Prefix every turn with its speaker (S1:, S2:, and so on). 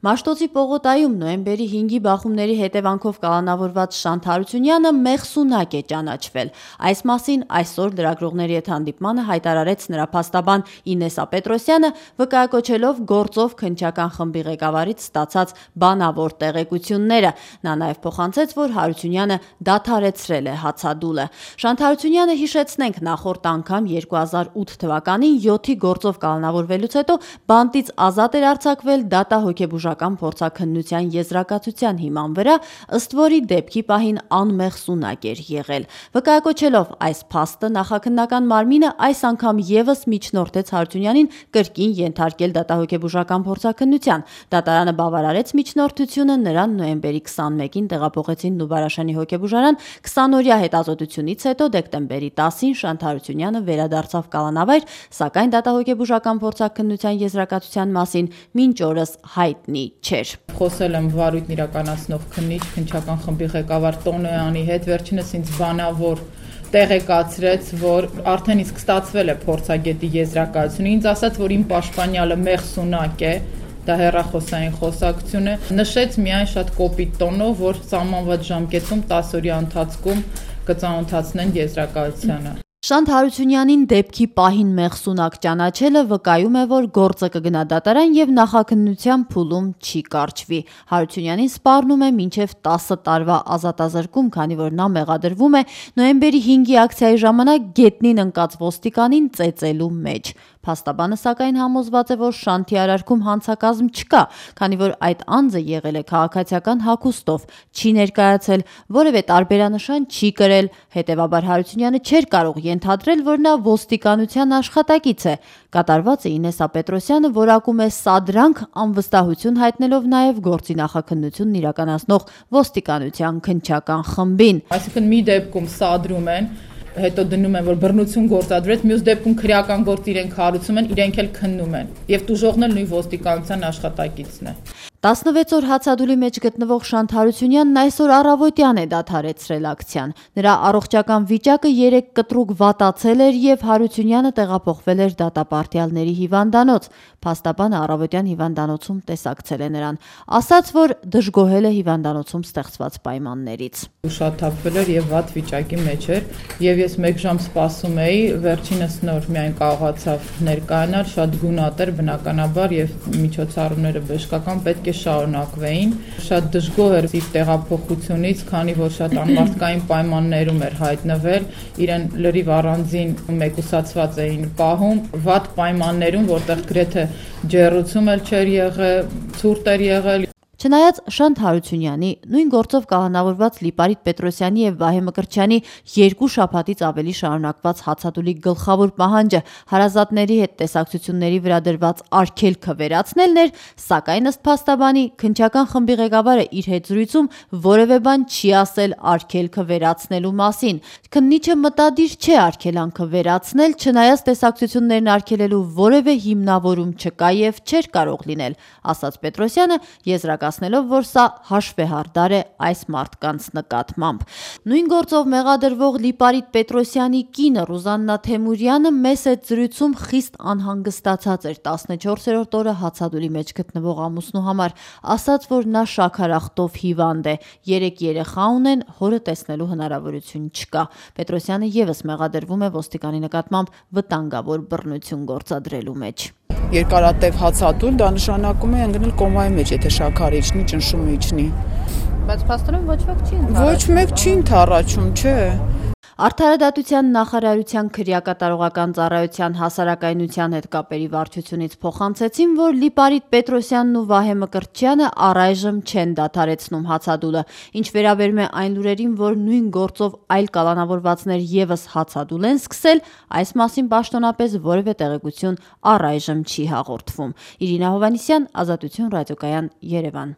S1: Մաշտոցի պողոտայում նոյեմբերի 5-ի բախումների հետևանքով կալանավորված Շանթ Հարությունյանը մեղսունակ է ճանաչվել։ Այս մասին այսօր լրագրողների հետ հանդիպմանը հայտարարեց նրա փաստաբան Ինեսա Պետրոսյանը, վկայակոչելով գործով քննչական խմբի ղեկավարից ստացած բանավոր տեղեկությունները։ Նա նաև փոխանցեց, որ Հարությունյանը դադարեցրել է հացադուլը։ Շանթ Հարությունյանը, հիշեցնենք, նախորդ անգամ 2008 թվականին 7-ի գործով կալանավորվելուց հետո բանտից ազատ էր արձակվել դատահոգեբուժական փորձաքննության եզրակացության հիման վրա, ըստ որի դեպքի պահին անմեղսունակ էր եղել։ Վկայակոչելով այս փաստը, նախաքննական մարմինը այս անգամ եւս միջնորդեց Հարությունյանին կրկին ենթարկել դատահոգեբուժական փորձաքննության։ Դատարանը բավարարեց միջնորդությունը, նրան նոյեմբերի 21-ին տեղափոխեցին Նուբարաշանի հոգեբուժարան։ 20-օրյա հետազոտությունից հետո դեկտեմբերի 10-ին Շանթ Հարությունյանը վերադարձավ կալանավայր, սակայն դատահոգեբուժական փորձաքննության եզրակացության մասին մինչ օրս հայտնի չէր։
S2: Խոսել եմ վարույթն իրականացնող քննիչ, քննչական խմբի ղեկավար Տոնոյանի հետ, վերջինս ինձ բանավոր տեղեկացրեց, որ արդեն իսկ ստացվել է փորձագետի եզրակացությունը, ինձ ասաց, որ իմ պաշտպանյալը մեղսունակ է, դա հեռախոսային խոսակցություն է, նշեց միայն շատ կոպիտ տոնով, որ սահմանված ժամկետում 10 օրյա ընթացքում կծանոթացնեն եզրակացությանը։
S1: Շանթ Հարությունյանին դեպքի պահին մեղսունակ ճանաչելը վկայում է, որ գործը կգնա դատարան եւ նախաքննության փուլում չի կարճվի։ Հարությունյանին սպառնում է մինչեւ 10 տարվա ազատազրկում, քանի որ նա մեղադրվում է նոյեմբերի 5-ի ակցիայի ժամանակ գետնին ընկած ոստիկանին ծեծելու մեջ։ Փաստաբանը սակայն համոզված է, որ Շանթի արարքում հանցակազմ չկա, քանի որ այդ անձը եղել է քաղաքացիական հագուստով, չի ներկայացել, որևէ տարբերանշան չի կրել, հետևաբար Հարությունյանը չէր կարող ենթադրել, որ նա ոստիկանության աշխատակից է։ Կատարված է Ինեսա Պետրոսյանը որակում է սադրանք, անվստահություն հայտնելով նաև գործի նախաքննությունն իրականացնող ոստիկանության քննչական խմբին։
S2: Այսինքն մի դեպքում սադրում են, հետո դնում են, որ բռնություն գործադրվեց, մյուս դեպքում քրեական գործ իրենք հարուցում են, իրենք էլ քննում են։ Եվ տուժողն էլ նույն ոստիկանության աշխատակիցն է։
S1: 16 օր հացադուլի մեջ գտնվող Շանթ Հարությունյանն այսօր առավոտյան է դադարեցրել ակցիան։ Նրա առողջական վիճակը 3 կտրուկ վատացել էր եւ Հարությունյանը տեղափոխվել էր դատապարտյալների հիվանդանոց։ Փաստաբանը առավոտյան հիվանդանոցում տեսակցել է նրան, ասաց, որ դժգոհել է հիվանդանոցում ստեղծված պայմաններից։
S2: Ուշաթափվել էր եւ վատ վիճակի մեջ էր եւ ես 1 ժամ սպասում էի, վերջինս նոր միայն կարողացավ ներկայանալ, շատ գունատ էր բնականաբար եւ միջոցառումները բժշկական պետք է շարունակվեին։ Շատ դժգոհ էր իր տեղափոխությունից, քանի որ շատ անմարդկային պայմաններում էր հայտնվել, իրեն լրիվ առանձին մեկուսացված էին պահում, վատ պայմաններում, որտեղ գրեթե ջեռուցում էլ չէր եղել, ցուրտ էր եղել։
S1: Չնայած Շանթ Հարությունյանի, նույն գործով կալանավորված Լիպարիտ Պետրոսյանի եւ Վահե Մկրտչյանի 2 շաբաթից ավելի շարունակված հացադուլի գլխավոր պահանջը հարազատների հետ տեսակցությունների վրա դրված արգելքը վերացնելն էր, սակայն ըստ փաստաբանի քննչական խմբի ղեկավարը իր հետ զրույցում որևէ բան չի ասել արգելքը վերացնելու մասին։ Քննիչը մտադիր չէ արգելանքը վերացնել, չնայած տեսակցություններն արգելելու որևէ հիմնավորում չկա եւ չէր կարող լինել, ասաց Պետրոսյանը, եզրակացնելով, որ սա հաշվեհարդար է այս մարդկանց նկատմամբ։ Նույն գործով մեղադրվող Լիպարիտ Պետրոսյանի կինը Ռուզաննա Թեմուրյանը մեծ այդ զրույցում խիստ անհանգստացած էր 14-րդ օրը հացադուլի մեջ գտնվող ամուսնու համար, ասաց, որ նա շաքարախտով հիվանդ է, 3 երեխա ունեն, հորը տեսնելու հնարավորություն չկա։ Պետրոսյանը եւս մեղադրվում է ոստիկանի նկատմամբ վտանգավոր բռնություն գործադրելու մեջ։
S3: Երկարատև հացադուլ դա նշանակում է ընկնել կոմայի մեջ, եթե շաքարը իջնի, ճնշումը իջնի։
S1: Բայց փաստորեն ոչ ոք չի ընդառաջում։
S3: Ոչ մեկ չի ընդառաջում, չէ։
S1: Արդարադատության նախարարության քրեակատարողական ծառայության հասարակայնության հետ կապերի վարչությունից փոխանցեցին, որ Լիպարիտ Պետրոսյանն ու Վահե Մկրտչյանը առայժմ չեն դադարեցնում հացադուլը։ Ինչ վերաբերում է այն լուրերին, որ նույն գործով այլ կալանավորվածներ եւս հացադուլ են սկսել, այս մասին պաշտոնապես որևէ տեղեկություն առայժմ չի հաղորդվում։ Իրինա Հովհաննիսյան, Ազատություն ռադիոկայան, Երևան։